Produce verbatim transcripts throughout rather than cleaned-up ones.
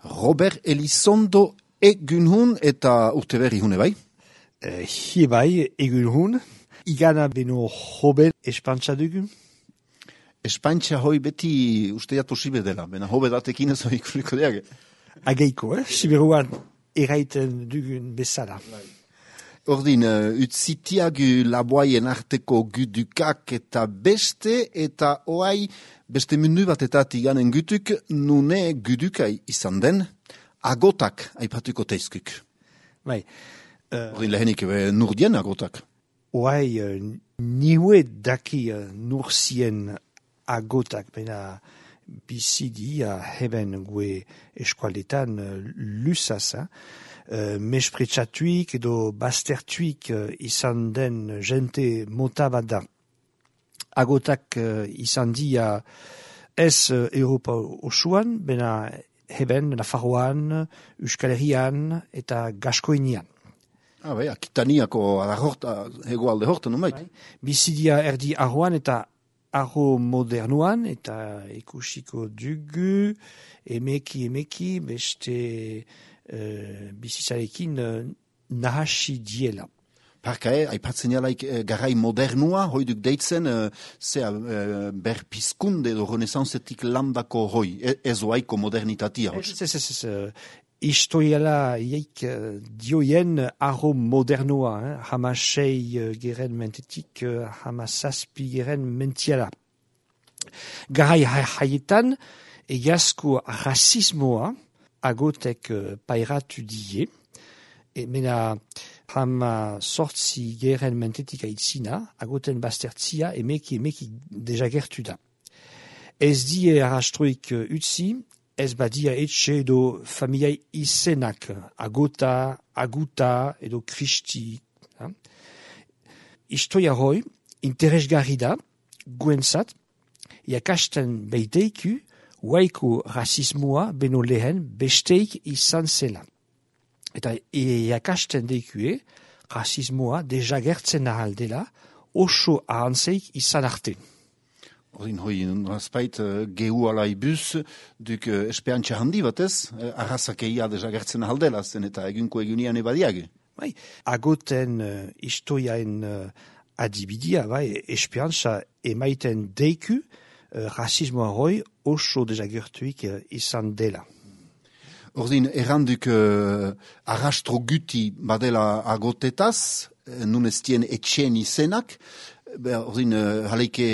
Robert Elizondo egun hun eta urte berri hune bai? Uh, hi bai, egun hun. Igana beno hobe espantza dugu? Espantza hoi beti usteat posible dela, bena hobe datekin ez hori ikusiko diage. Ageiko, eh? Siberuan eraiten dugun bezala. Ordin, uh, utzitiagu laboaien arteko gudukak eta beste, eta oai beste mundu batetatik ganen gutuk, nune gudukai izan den, agotak aipatuko teizkuk. Bai. Uh, Ordin, lehenik nurdien agotak. Oai, uh, niue daki uh, nursien agotak, bena bizidi uh, heben gue eskualetan uh, lusaz, uh, mespretsatuik edo bastertuik uh, izan den jente mota bat da. Agotak uh, izan dia ez uh, Europa osoan, bena heben Nafarroan, Euskal Herrian eta Gaskoinian. Ah, bai, Akitaniako adarrorta, hegoalde horta, numait? Bai. Bizidia erdi arroan eta arro modernuan, eta ikusiko dugu, emeki, emeki, beste uh, bizizarekin uh, nahasi diela. Parka, eh, aipatzen jalaik eh, garai modernua, hoiduk deitzen, eh, zea eh, berpizkunde edo renesanzetik landako hoi, e, ez oaiko modernitatia. Ez, ez, ez, ez, uh, historiala iaik uh, dioien arro modernua, eh, hamasei uh, geren mentetik, uh, hamasazpi geren mentiala. Garai haietan, egiazko rasismoa agotek uh, pairatu die, e mena hama sortzi geren mentetik aitzina, agoten bastertzia, emeki emeki deja gertu da. Ez die arrastroik uh, utzi, ez badia etxe edo familiai izenak, agota, aguta edo kristi. Ha? Istoia hoi, interesgarri da, guentzat, iakasten beiteiku, waiko rasismoa beno lehen besteik izan zela. Eta iakasten deikue, rasismoa deja gertzen ahaldela, oso ahantzeik izan arte. Ordin hoi, nazpait, uh, gehu alai bus, duk uh, espeantxa handi batez, uh, arrazakeia deja gertzen ahaldela, zen eta egunko egunian ebadiage. Bai, agoten uh, istoiaen uh, adibidia, bai, espeantxa emaiten deiku, uh, rasismoa hoi oso deja gertuik uh, izan dela. Ordin, erranduk uh, arrastro guti badela agotetaz, nun ez dien etxen izenak, ordin, uh, haleike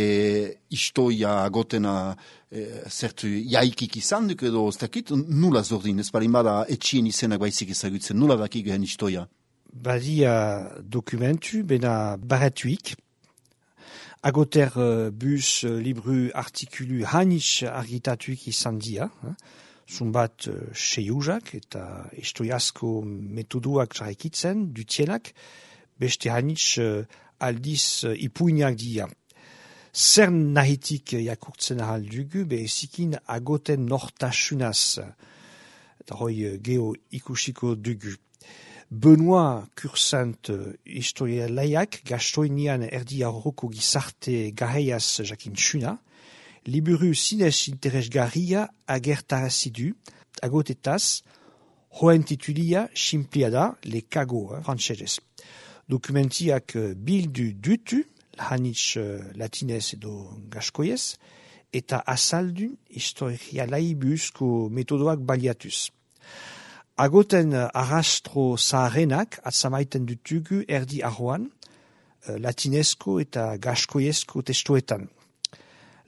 istoia agotena uh, zertu jaikik izan duk edo ez dakit, nulaz ordin, ez balin bada etxen izenak baizik ezagutzen, nula dakik gehen istoia? Badia dokumentu, bena baratuik, agoter uh, bus, uh, libru, artikulu, hanitz argitatuik izan dia, hein? Zumbat uh, seiuzak eta istoiazko metoduak jarraikitzen, dutielak, beste hanitz uh, aldiz uh, ipuinak dia. Zer nahitik jakurtzen ahal dugu, behezikin agoten nortasunaz, eta hoi uh, geho ikusiko dugu. Benoit Kursant uh, historialaiak gastoinian erdi arroko gizarte garaiaz jakintsuna, liburu zinez interesgarria agertarazidu, agotetaz, hoen titulia simplia da, le kago, eh, frantsesez. Dokumentiak uh, bildu dutu, hanitz uh, latinez edo gaskoiez, eta azaldu historialai buruzko metodoak baliatuz. Agoten uh, arrastro zaharenak atzamaiten dutugu erdi arroan, uh, latinezko eta gaskoiezko testoetan.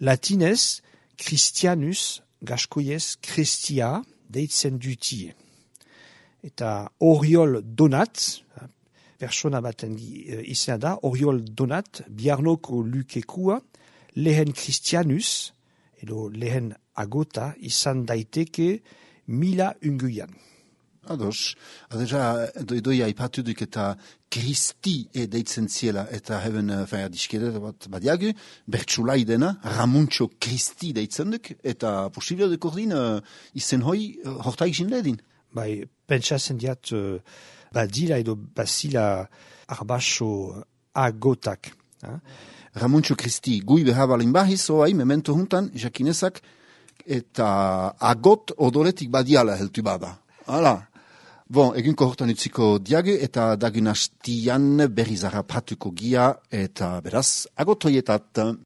Latinez, Christianus, gaskoiez, Christia, deitzen dutie. Eta Oriol Donat, persona baten izena da, Oriol Donat, biarnoko lukekua, lehen Christianus, edo lehen agota, izan daiteke mila unguian. Ados, adeja, doia ipatu duk eta Kristi e deitzen ziela, eta heben, faya, diskedet bat badiagu, bertsulai dena, Ramuntxo Kristi deitzen duk, eta posibio duk ordin, uh, izen hoi, uh, hortaik jinledin. Bai, pentsatzen diat, uh, badila edo basila arbaso agotak. Ha? Ramuntxo Kristi, gui behabalin bahiz, oai, memento juntan, jakinezak, eta agot odoretik badiala heltu bada. Hala. Bon, egunko hortan utziko diagu eta dagun hastian berriz harrapatuko gia eta beraz agotoietat.